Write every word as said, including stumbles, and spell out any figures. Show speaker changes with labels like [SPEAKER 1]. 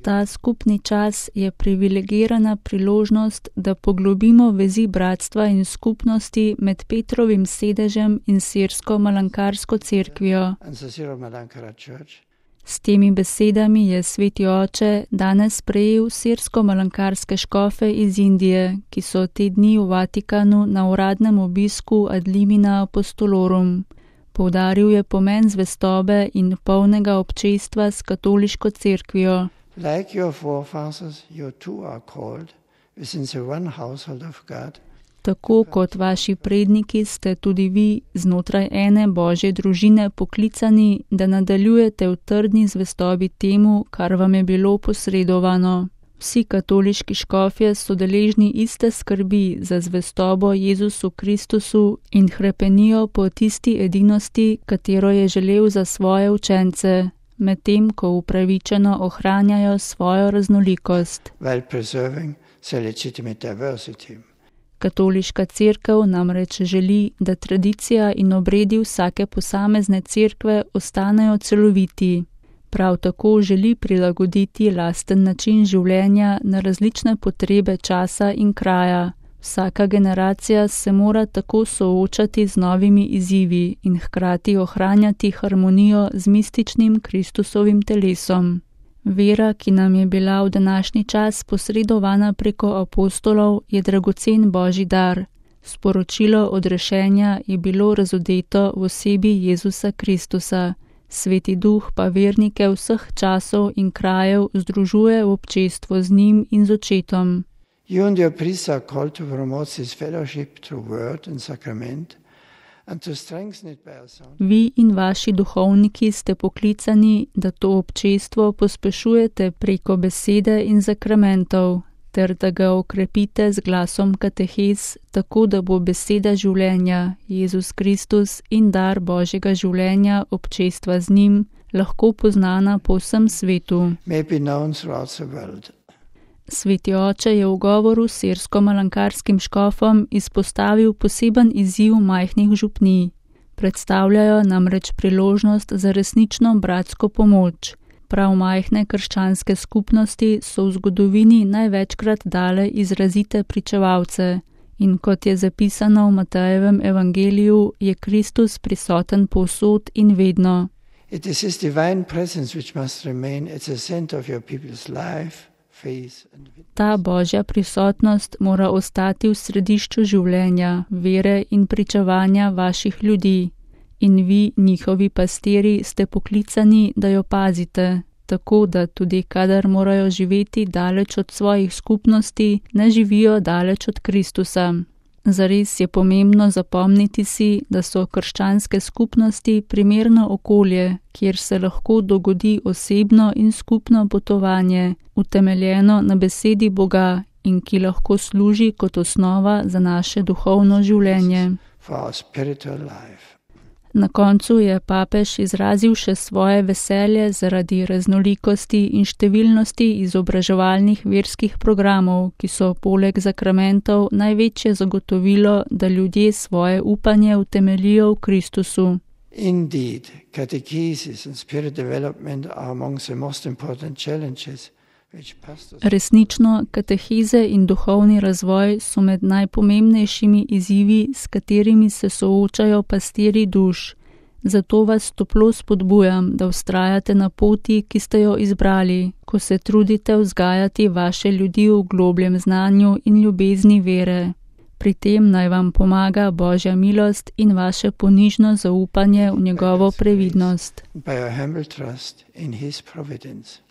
[SPEAKER 1] Ta skupni čas je privilegirana priložnost, da poglobimo vezi bratstva in skupnosti med Petrovim sedežem in sirsko-malankarsko cerkvijo. S temi besedami je sveti oče danes sprejel sirsko-malankarske škofe iz Indije, ki so te dni v Vatikanu na uradnem obisku ad limina apostolorum. Poudaril je pomen zvestobe in polnega občestva s katoliško cerkvijo.
[SPEAKER 2] Like your forefathers, you too are called within the one household of God.
[SPEAKER 1] Tako kot vaši predniki ste tudi vi znotraj ene Božje družine poklicani, da nadaljujete v trdni zvestobi temu, kar vam je bilo posredovano. Vsi katoliški škofje so deležni iste skrbi za zvestobo Jezusu Kristusu in hrepenijo po tisti edinosti, katero je želel za svoje učence, medtem ko upravičeno ohranjajo svojo raznolikost.
[SPEAKER 2] While preserving the legitimate diversity.
[SPEAKER 1] Katoliška cerkev namreč želi, da tradicija in obredi vsake posamezne cerkve ostanejo celoviti. Prav tako želi prilagoditi lasten način življenja na različne potrebe časa in kraja. Vsaka generacija se mora tako soočati z novimi izzivi in hkrati ohranjati harmonijo z mističnim Kristusovim telesom. Vera, ki nam je bila v današnji čas posredovana preko apostolov, je dragocen Božji dar. Sporočilo odrešenja je bilo razodeto v osebi Jezusa Kristusa. Sveti Duh pa vernike vseh časov in krajev združuje v občestvu z njim in z očetom.
[SPEAKER 2] You and your priests are called to promote this fellowship through word and sacrament and to strengthen it by our sound.
[SPEAKER 1] Vi in vaši duhovniki ste poklicani, da to občestvo pospešujete preko besede in sakramentov, ter da ga okrepite z glasom katehez, tako da bo beseda življenja, Jezus Kristus in dar Božjega življenja, občestva z njim, lahko poznana po vsem svetu.
[SPEAKER 2] May be known throughout the world.
[SPEAKER 1] Sveti oče je v govoru s sirsko-malankarskim škofom izpostavil poseben izziv majhnih župnij. Predstavljajo namreč priložnost za resnično bratsko pomoč. Prav majhne krščanske skupnosti so v zgodovini največkrat dale izrazite pričevalce. In kot je zapisano v Matejevem evangeliju, je Kristus prisoten povsod in vedno.
[SPEAKER 2] It is his divine presence which must remain at the center of your people's life.
[SPEAKER 1] Ta Božja prisotnost mora ostati v središču življenja, vere in pričevanja vaših ljudi. In vi, njihovi pastiri, ste poklicani, da jo pazite, tako da tudi kadar morajo živeti daleč od svojih skupnosti, ne živijo daleč od Kristusa. Zares je pomembno zapomniti si, da so krščanske skupnosti primerno okolje, kjer se lahko dogodi osebno in skupno potovanje, utemeljeno na besedi Boga in ki lahko služi kot osnova za naše duhovno življenje. Na koncu je papež izrazil še svoje veselje zaradi raznolikosti in številnosti izobraževalnih verskih programov, ki so poleg sakramentov največje zagotovilo, da ljudje svoje upanje utemeljijo v Kristusu.
[SPEAKER 2] Indeed, catechesis and spirit development are among the most important challenges.
[SPEAKER 1] Resnično, kateheze in duhovni razvoj so med najpomembnejšimi izzivi, s katerimi se soočajo pastirji duš. Zato vas toplo spodbujam, da vztrajate na poti, ki ste jo izbrali, ko se trudite vzgajati vaše ljudi v globljem znanju in ljubezni vere. Pri tem naj vam pomaga Božja milost in vaše ponižno zaupanje v njegovo previdnost.
[SPEAKER 2] By your humble trust in his providence.